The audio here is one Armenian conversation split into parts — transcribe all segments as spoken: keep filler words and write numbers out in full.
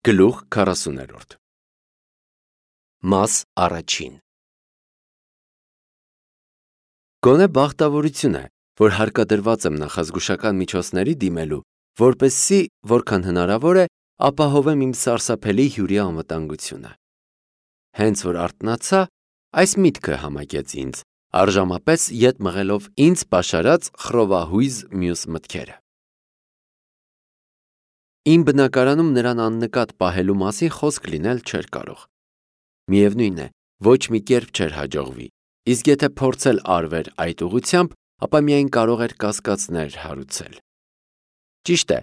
Գլուխ քառասուներորդ Մաս առաջին Գոնե բախտավորություն է, որ հարկադրված եմ նախազգուշական միջոցների դիմելու, որպեսզի, որքան հնարավոր է, ապահովեմ իմ սարսափելի հյուրի անվտանգությունը։ Հենց որ արթնացա, այս միտքը համակեց ինձ, առժամապես ետ մղելով ինձ պաշարած խռովահույզ մյուս մտքերը։ Իմ բնակարանում նրան աննկատ պահելու մասին խոսք լինել չէր կարող։ Միևնույն է, ոչ մի կերպ չէր հաջողվի, իսկ եթե փորձել արվեր այդ ուղղությամբ, ապա միայն կարող էր կասկածներ հարուցել։ Ճիշտ է,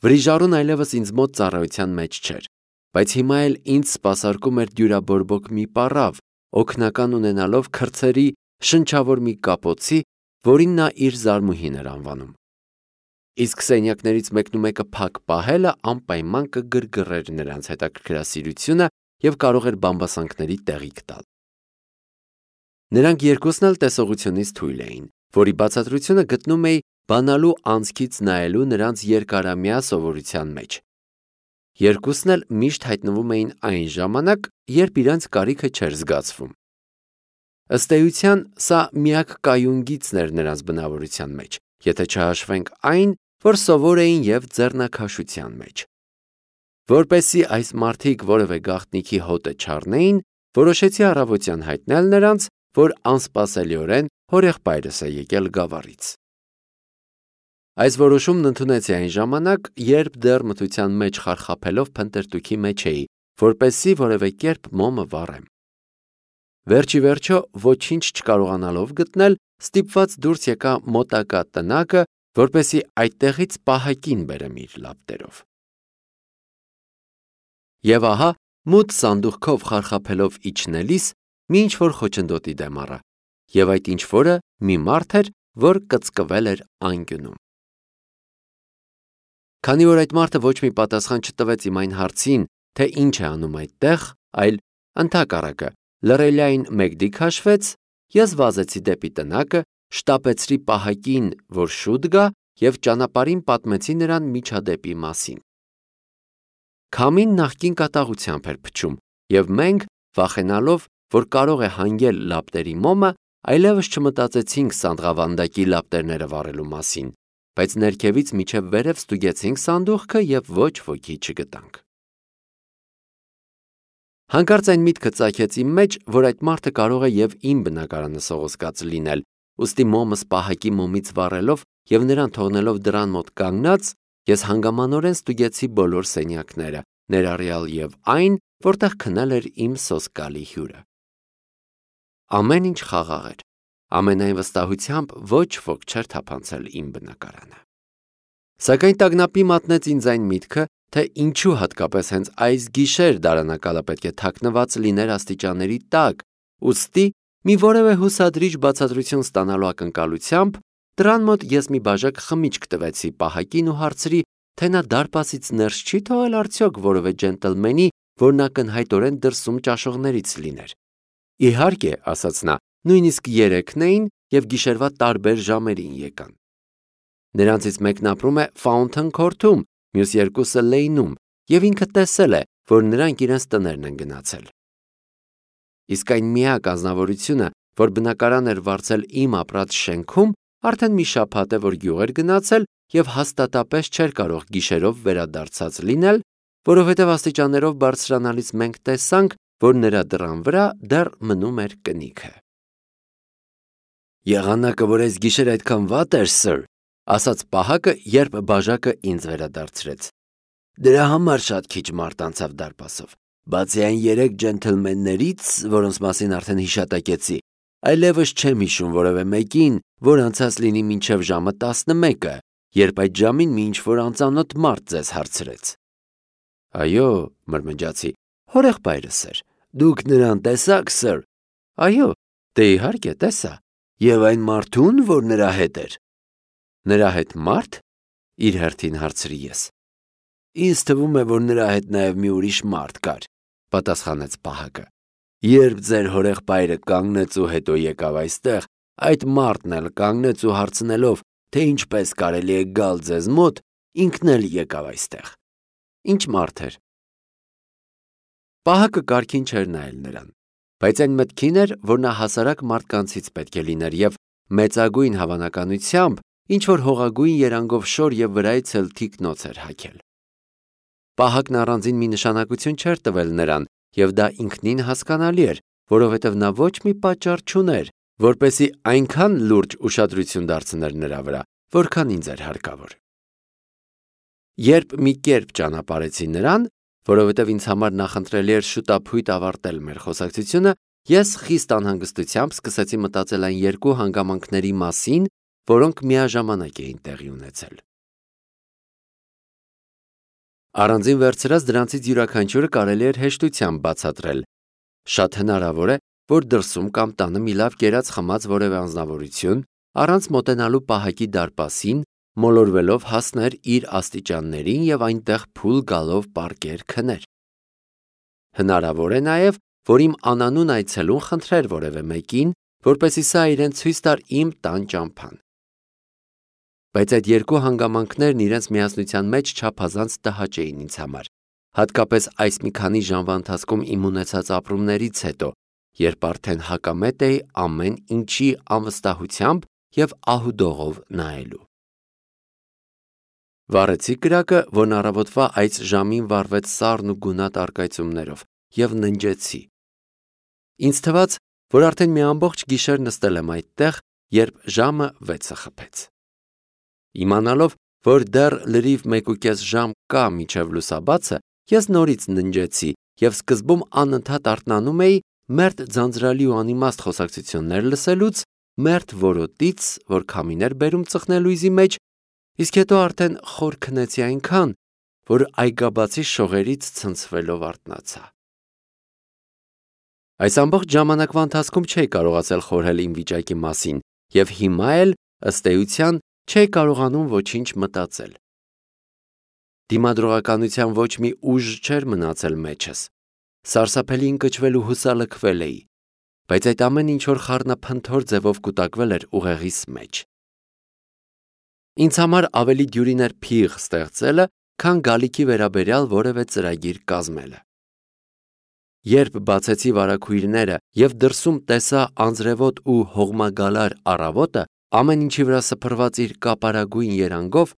վրիժառուն այլևս ինձ մոտ ծառայության մեջ չէր, բայց հիմա էլ ինձ սպասարկում էր դյուրաբորբոք մի պառավ, օգնական ունենալով քրծերի շնչավոր մի կապոցի, որին նա իր զարմուհին էր անվանում։ Իսկ սենյակներից մեկնումեկը փակ պահելը անպայման կգրգռեր նրանց հետաքրքրասիրությունը և կարող էր բամբասանքների տեղիք տալ։ Նրանք երկուսն էլ տեսողությունից թույլ էին, որի բացատրությունը գտնում էի բանալու անցքից նայելու նրանց երկարամյա սովորության մեջ։ Երկուսն էլ միշտ հայտնվում էին այն ժամանակ, երբ իրենց կարիքը չէր զգացվում։ Ըստ էության, սա միակ կայուն գիծն էր նրանց բնավորության մեջ, եթե չհաշվենք այն, որ սովոր էին և ձեռնաքաշության մեջ։ Որպեսզի այս մարդիկ որևէ գաղտնիքի հոտը չառնեին, որոշեցի առավոտյան հայտնել նրանց, որ անսպասելիորեն հորեղբայրս է եկել Գավառից։ Այս որոշումն ընդունեցի այն ժամանակ, երբ դեռ մթության մեջ խարխափելով փնտրտուքի մեջ էի, որպեսզի որևէ կերպ մոմը վառեմ։ Վերջի վերջո, ոչինչ չկարողանալով գտնել, ստիպված դուրս եկա մոտակա տնակը, որպեսզի այդտեղից պահակին բերեմ իր լապտերով։ Եվ ահա, մութ սանդուղքով խարխափելով իջնելիս, մի ինչ-որ խոչընդոտի դեմ առա, և այդ ինչ-որը մի մարդ էր, որ կծկվել էր անկյունում։ Քանի որ այդ մարդը ոչ մի պատասխան չտվեց իմ այն հարցին, թե ինչ է անում այդտեղ, այլ ընդհակառակը լռելիային մեկդի քաշվեց, ես վազեցի դեպի տնակը, շտապեցրի պահակին, որ շուտ գա, և ճանապարհին պատմեցի նրան միջադեպի մասին։ Քամին նախկին կատաղությամբ էր փչում, և մենք, վախենալով, որ կարող է հանգել լապտերի մոմը, այլևս չմտածեցինք սանդղավանդակի լապտերները վառելու մասին, բայց ներքևից մինչև վերև ստուգեցինք սանդուղքը և ոչ ոքի չգտանք։ Հանկարծ այն միտքը ծագեց իմ մեջ, որ այդ մարդը կարող է և իմ բնակարանը սողոսկաց լինել, ուստի մոմս պահակի մոմից վառելով և նրան թողնելով դռան մոտ կանգնած, ես հանգամանորեն ստուգեցի բոլոր սենյակները, ներառյալ և այն, որտեղ քնել էր իմ սոսկալի հյուրը։ Ամեն ինչ խաղաղ էր, ամենայն վստահությամբ ոչ ոք չէր թափանցել իմ բնակարանը։ Սակայն տագնապի մատնեց ինձ այն միտքը, թե ինչու հատկապես հենց այս գիշեր դարանակալը պետք է թաքնված լիներ աստիճանների տակ, ուստի մի որևէ հուսադրիչ բացատրություն ստանալու ակնկալությամբ դռան մոտ ես մի բաժակ խմիչք տվեցի պահակին ու հարցրի, թե նա դարպասից ներս չի թողել արդյոք որևէ ջենտլմենի, որն ակնհայտորեն դրսում ճաշողներից լիներ։ Իհարկե, ասաց նա, նույնիսկ երեքն էին և գիշերվա տարբեր ժամերին եկան։ Նրանցից մեկն ապրում է Ֆաունթեն Քորթում, մյուս երկուսը Լեյնում, և ինքը տեսել է, որ նրանք իրենց տներն են գնացել։ Իսկ այն միակ ազնվորությունը, որ բնակարան էր վարձել իմ ապրած շենքում, արդեն մի շաբաթ է, որ գյուղ էր գնացել և հաստատապես չէր կարող գիշերով վերադարձած լինել, որովհետև աստիճաններով բարձրանալիս մենք տեսանք, որ նրա դռան վրա դեռ մնում էր կնիքը։ Եղանակը, որ այս գիշեր այդքան վատ էր, սըր, ասաց պահակը, երբ բաժակը ինձ վերադարձրեց։ Դրա համար շատ քիչ մարդ անցավ դարպասով, բացի այն երեք ջենթլմեններից, որոնց մասին արդեն հիշատակեցի, այլևս չեմ հիշում որևէ մեկին, որ անցած լինի մինչև ժամը տասնմեկը, երբ այդ ժամին մի ինչ-որ անծանոթ մարդ ձեզ հարցրեց։ Այո, մրմնջացի, հորեղբայրս էր։ Դուք նրան տեսա՞ք, սըր։ Այո, դե իհարկե տեսա։ Եվ այն մարդուն, որ նրա հետ էր։ Նրա հետ մարդ։ Իր հերթին հարցրի ես։ Ինձ թվում է, որ նրա հետ նաև մի ուրիշ մարդ կար, պատասխանեց պահակը։ Երբ ձեր հորեղբայրը կանգնեց ու հետո եկավ այստեղ, այդ մարդն էլ կանգնեց ու հարցնելով, թե ինչպես կարելի է գալ ձեզ մոտ, ինքն էլ եկավ այստեղ։ Ինչ մարդ էր։ Պահակը կարգին չէր նայել նրան, բայց այն մտքին էր, որ նա հասարակ մարդկանցից պետք է լիներ և մեծագույն հավանականությամբ ինչ-որ հողագույն երանգով շոր և վրայից էլ թիկնոց էր հագել։ Պահակն առանձին մի նշանակություն չէր տվել նրան, և դա ինքնին հասկանալի էր, որովհետև նա ոչ մի պատճառ չուներ, որպեսզի այնքան լուրջ ուշադրություն դարձներ նրա վրա, որքան ինձ էր հարկավոր։ Երբ մի կերպ ճանապարհեցի նրան, որովհետև ինձ համար նախընտրելի էր շուտափույթ ավարտել մեր խոսակցությունը, ես խիստ անհանգստությամբ սկսեցի մտածել այն երկու հանգամանքների մասին, որոնք միաժամանակ էին տեղի ունեցել։ Առանձին վերցրած դրանցից յուրաքանչյուրը կարելի էր հեշտությամբ բացատրել։ Շատ հնարավոր է, որ դրսում կամ տանը մի լավ կերած խմած որևէ անձնավորություն, առանց մոտենալու պահակի դարպասին, մոլորվելով հասներ իր աստիճաններին և այնտեղ փուլ գալով պառկեր քներ։ Հնարավոր է նաև, որ իմ անանուն այցելուն խնդրեր որևէ մեկին, որպեսզի սա իրեն ցույց տար իմ տան ճամփան։ Բայց այդ երկու հանգամանքներն իրենց միասնության մեջ չափազանց տհաճ էին ինձ համար, հատկապես այս մի քանի ժամվա ընթացքում իմ ունեցած ապրումներից հետո, երբ արդեն հակամետ էի ամեն ինչի անվստահությամբ և ահուդողով նայելու։ Վառեցի կրակը, որն առավոտվա այս ժամին վառվեց սառն ու գունատ առկայծումներով, և ննջեցի։ Ինձ թվաց, որ արդեն մի ամբողջ գիշեր նստել եմ այդտեղ, երբ ժամը վեցը խփեց։ Իմանալով, որ դեռ լրիվ մեկուկես ժամ կա մինչև լուսաբացը, ես նորից ննջեցի և սկզբում անընդհատ արթնանում էի մերթ ձանձրալի ու անիմաստ խոսակցություններ լսելուց, մերթ որոտից, որ քամին էր բերում ծխնելույզի մեջ, իսկ հետո արդեն խոր քնեցի այնքան, որ այգաբացի շողերից ցնցվելով արթնացա։ Այս ամբողջ ժամանակվա ընթացքում չէի կարողացել խորհել իմ վիճակի մասին և հիմա էլ, ըստ էության, չէի կարողանում ոչինչ մտածել։ Դիմադրողականության ոչ մի ուժ չէր մնացել մեջս, սարսափելի ընկճվել ու հուսալքվել էի, բայց այդ ամեն ինչ-որ խառնափնթոր ձևով կուտակվել էր ուղեղիս մեջ։ Ինձ համար ավելի դյուրին էր փիղ ստեղծելը, քան գալիքի վերաբերյալ որևէ ծրագիր կազմելը։ Երբ բացեցի վարագույրները և դրսում տեսա անձրևոտ ու հողմագալար առավոտը, ամեն ինչի վրա սփռված իր կապարագույն երանգով,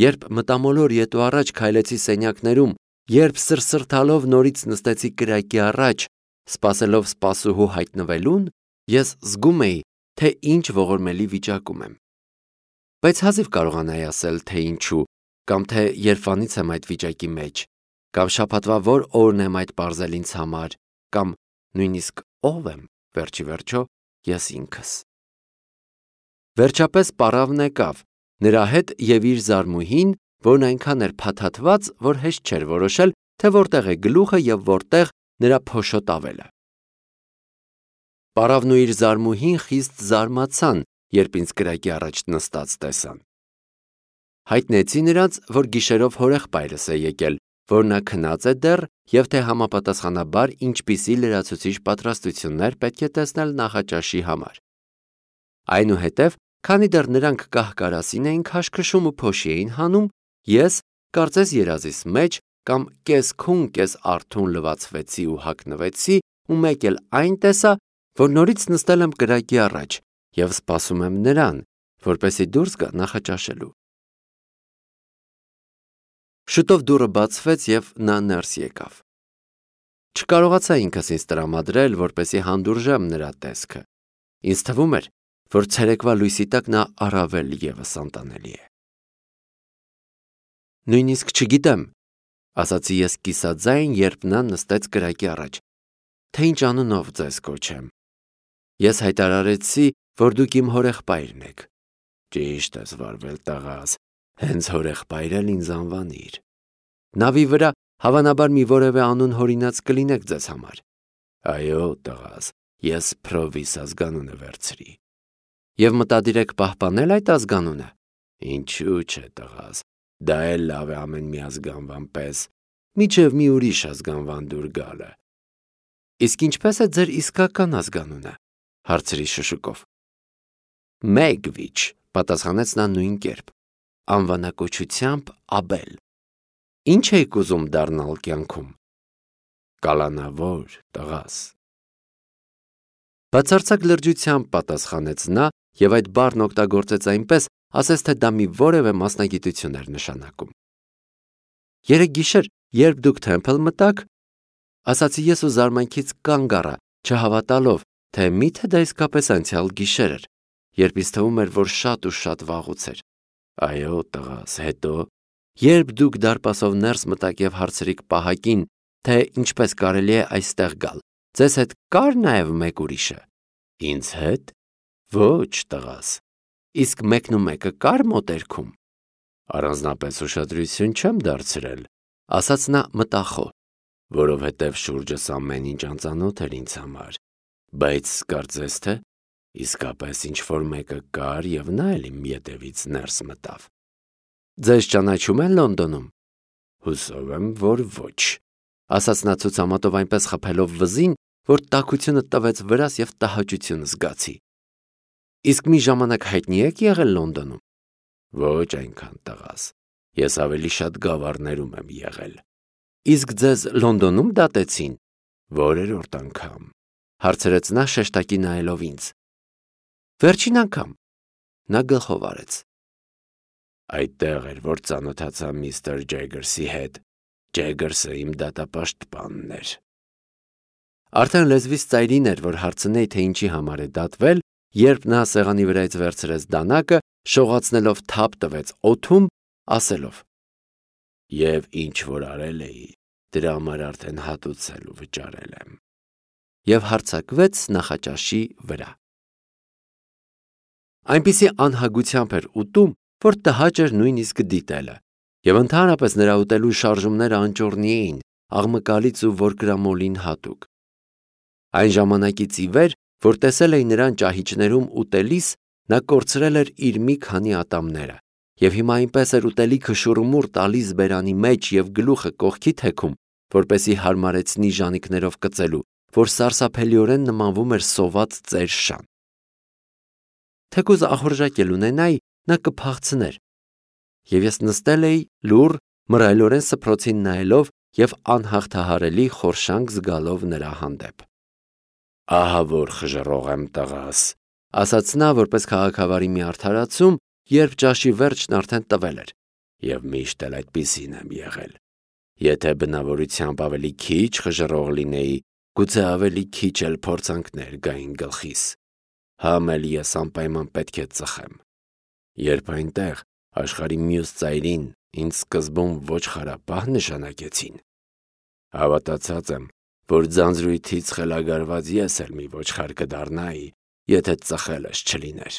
երբ մտամոլոր ետու առաջ քայլեցի սենյակներում, երբ սրսրթալով նորից նստեցի կրակի առաջ, սպասելով սպասուհու հայտնվելուն, ես զգում էի, թե ինչ ողորմելի վիճակում եմ։ Բայց հազիվ կարողանայի ասել, թե ինչու, կամ թե երբանից եմ այդ վիճակի մեջ, կամ շաբաթվա որ օրն եմ այդ պարզել ինձ համար, կամ նույնիսկ ով եմ, վերջի վերջո, ես ինքս։ Վերջապես պառավն եկավ, նրա հետ և իր զարմուհին, որն այնքան էր փաթաթված, որ հեշտ չէր որոշել, թե որտեղ է գլուխը և որտեղ նրա փոշոտ ավելը։ Պառավն ու իր զարմուհին խիստ զարմացան, երբ ինձ կրակի առաջ նստած տեսան։ Հայտնեցի նրանց, որ գիշերով հորեղբայրս է եկել, որ նա քնած է դեռ և թե համապատասխանաբար ինչպիսի լրացուցիչ պատրաստություններ պետք է տեսնել նախաճաշի համար։ Այնուհետև, քանի դեռ նրանք կահ-կարասին էին քաշքշում ու փոշի էին հանում, ես, կարծես երազիս մեջ, կամ կես-քուն կես-արթուն լվացվեցի ու հագնվեցի ու մեկ էլ այն տեսա, որ նորից նստել եմ կրակի առաջ և սպասում եմ նրան, որպեսզի դուրս գա նախաճաշելու։ Շուտով դուռը բացվեց և նա ներս եկավ։ Չկարողացա ինքս ինձ տրամադրել, որպեսզի հանդուրժեմ նրա տեսքը։ Ինձ թվում էր, որ ցերեկվա լույսի տակ նա առավել ևս անտանելի է։ Նույնիսկ չգիտեմ, ասացի ես կիսաձայն, երբ նա նստեց կրակի առաջ, թե ինչ անունով ձեզ կոչեմ։ Ես հայտարարեցի, որ դուք իմ հորեղբայրն եք։ Ճիշտ ես վարվել, տղաս, հենց հորեղբայր էլ ինձ անվանիր։ Նավի վրա հավանաբար մի որևէ անուն հորինած կլինեք ձեզ համար։ Այո, տղաս, ես Փրովիս ազգանունը վերցրի։ Եվ մտադիր եք պահպանել այդ ազգանունը։ Ինչու՞ չէ, տղաս, դա էլ լավ է ամեն մի ազգանվան պես, մինչև մի ուրիշ ազգանվան դուր գալը։ Իսկ ինչպես է ձեր իսկական ազգանունը, հարցրի շշուկով։ Մեգվիչ, պատասխանեց նա նույն կերպ, անվանակոչությամբ Աբել։ Ինչ եք ուզում դառնալ կյանքում։ կալանավոր տղաս։ Բացարձակ լրջությամբ պատասխանեց նա և այդ բառն օգտագործեց այնպես, ասես թե դա մի որևէ մասնագիտություն էր նշանակում։ Երեկ գիշեր, երբ դուք Թեմփլ մտաք, ասացի ես ու զարմանքից կանգ առա, չհավատալով, թե միթե դա իսկապես անցյալ գիշեր էր, երբ ինձ թվում էր, որ շատ ու շատ վաղուց էր։ Այո, տղաս, հետո, երբ դուք դարպասով ներս մտաք և հարցրիք պահակին, թե ինչպես կարելի է այստեղ գալ, ձեզ հետ կա՞ր նաև մեկ ուրիշը։ Ինձ հետ։ Ոչ, տղաս։ Իսկ մեկն ու մեկը կար մոտերքում։ Առանձնապես ուշադրություն չեմ դարձրել, ասաց նա մտախոհ, որովհետև շուրջս ամեն ինչ անծանոթ էր ինձ համար, բայց կարծես թե իսկապես ինչ-որ մեկը կար և նա էլ իմ ետևից ներս մտավ։ Ձեզ ճանաչում են Լոնդոնում։ Հուսով եմ, որ ոչ, ասաց նա ցուցամատով այնպես խփելով վզին, որ տաքությունը տվեց վրաս և տհաճություն զգացի։ Իսկ մի ժամանակ հայտնի եք եղել Լոնդոնում։ Ոչ այնքան, տղաս, ես ավելի շատ գավառներում եմ եղել։ Իսկ ձեզ Լոնդոնում դատեցին։ Որերորդ անգամ, հարցրեց նա շեշտակի նայելով ինձ։ Վերջին անգամ, նա գլխով արեց։ Այդտեղ էր, որ ծանոթացա միստր Ջեգերսի հետ։ Ջեգերսը իմ դատապաշտպանն էր։ Արդեն լեզվից ծայրին էր, որ հարցնեի, թե ինչի համար է դատվել, երբ նա սեղանի վրայից վերցրեց դանակը, շողացնելով թափ տվեց օդում, ասելով. Եվ ինչ որ արել էի, դրա համար արդեն հատուցել ու վճարել եմ։ Եվ հարձակվեց նախաճաշի վրա։ Այնպիսի անհագությամբ էր ուտում, որ տհաճ էր նույնիսկ դիտելը, և ընդհանրապես նրա ուտելու շարժումները անճոռնի էին, աղմկալից ու որկրամոլին հատուկ։ Այն ժամանակից ի վեր, որ տեսել էի նրան ճահիճներում ուտելիս, նա կորցրել էր իր մի քանի ատամները, և հիմա այնպես էր ուտելիքը շուռումուռ տալիս բերանի մեջ և գլուխը կողքի թեքում, որպեսզի հարմարեցնի ժանիքներով կծելու, որ սարսափելիորեն նմանվում էր սոված ծեր շան։ Թեկուզ ախորժակ էլ ունենայի, նա կփախցներ, և ես նստել էի լուռ, մռայլորեն սփռոցին նայելով և անհաղթահարելի խորշանք զգալով նրա հանդեպ։ Ահա որ խժռող եմ, տղաս, ասաց նա, որպես քաղաքավարի մի արդարացում, երբ ճաշի վերջն արդեն տվել էր, և միշտ էլ այդպիսին եմ եղել։ Եթե բնավորությամբ ավելի քիչ խժռող լինեի, գուցե ավելի քիչ էլ փորձանքներ գային գլխիս։ Համ էլ ես անպայման պետք է ծխեմ։ Երբ այնտեղ աշխարհի մյուս ծայրին ինձ սկզբում ոչխարապահ նշանակեցին, հավատացած եմ, որ ձանձրույթից խելագարված ես էլ մի ոչխար կդառնայի, եթե ծխելս չլիներ։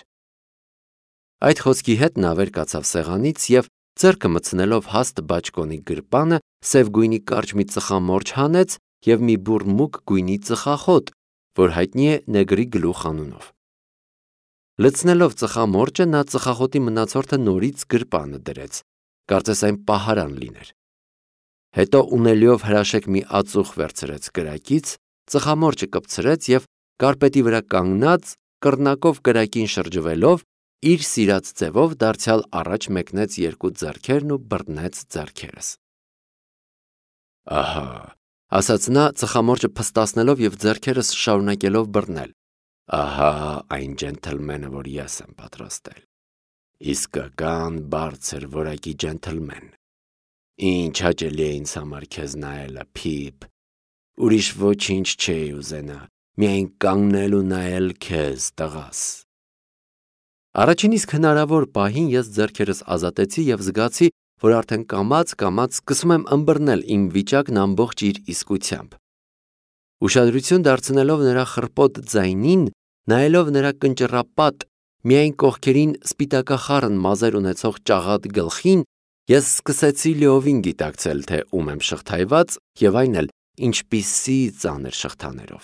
Այդ խոսքի հետ նա վեր կացավ սեղանից և ձեռքը մտցնելով հաստ բաճկոնի գրպանը, սև գույնի կարճ մի ծխամորճ հանեց և մի բուռ մուգ գույնի ծխախոտ, որ հայտնի է նեգրի գլուխ անունով։ Լցնելով ծխամորճը, նա ծխախոտի մնացորդը նորից գրպանը դրեց, կարծես այն պահարան լիներ։ Հետո ունելիով հրաշեք մի ածուխ վերցրեց կրակից, ծխամորճը կպցրեց և կարպետի վրա կանգնած, կռնակով կրակին շրջվելով, իր սիրած ձևով դարձյալ առաջ մեկնեց երկու ձեռքերն ու բռնեց ձեռքերս։ Ահա, ասաց նա, ծխամորճը փստացնելով և ձեռքերս շարունակելով բռնել։ Ահա այն ջենթլմենը, որ ես եմ պատրաստել։ Իսկական բարձր որակի ջենթլմեն։ Ինչ հաճելի է ինձ համար քեզ նայելը, Փիփ։ Ուրիշ ոչինչ չէի ուզենա, միայն կանգնել ու նայել քեզ, տղաս։ Առաջին իսկ հնարավոր պահին ես ձեռքերս ազատեցի և զգացի, որ արդեն կամաց-կամաց սկսում եմ ըմբռնել իմ վիճակն ամբողջ իր իսկությամբ։ Ուշադրություն դարձնելով նրա խռպոտ ձայնին, նայելով նրա կնճռապատ, միայն կողքերին սպիտակախառն մազեր ունեցող ճաղատ գլխին, ես սկսեցի լիովին գիտակցել, թե ում եմ շղթայված և այն էլ ինչպիսի ծանր շղթաներով։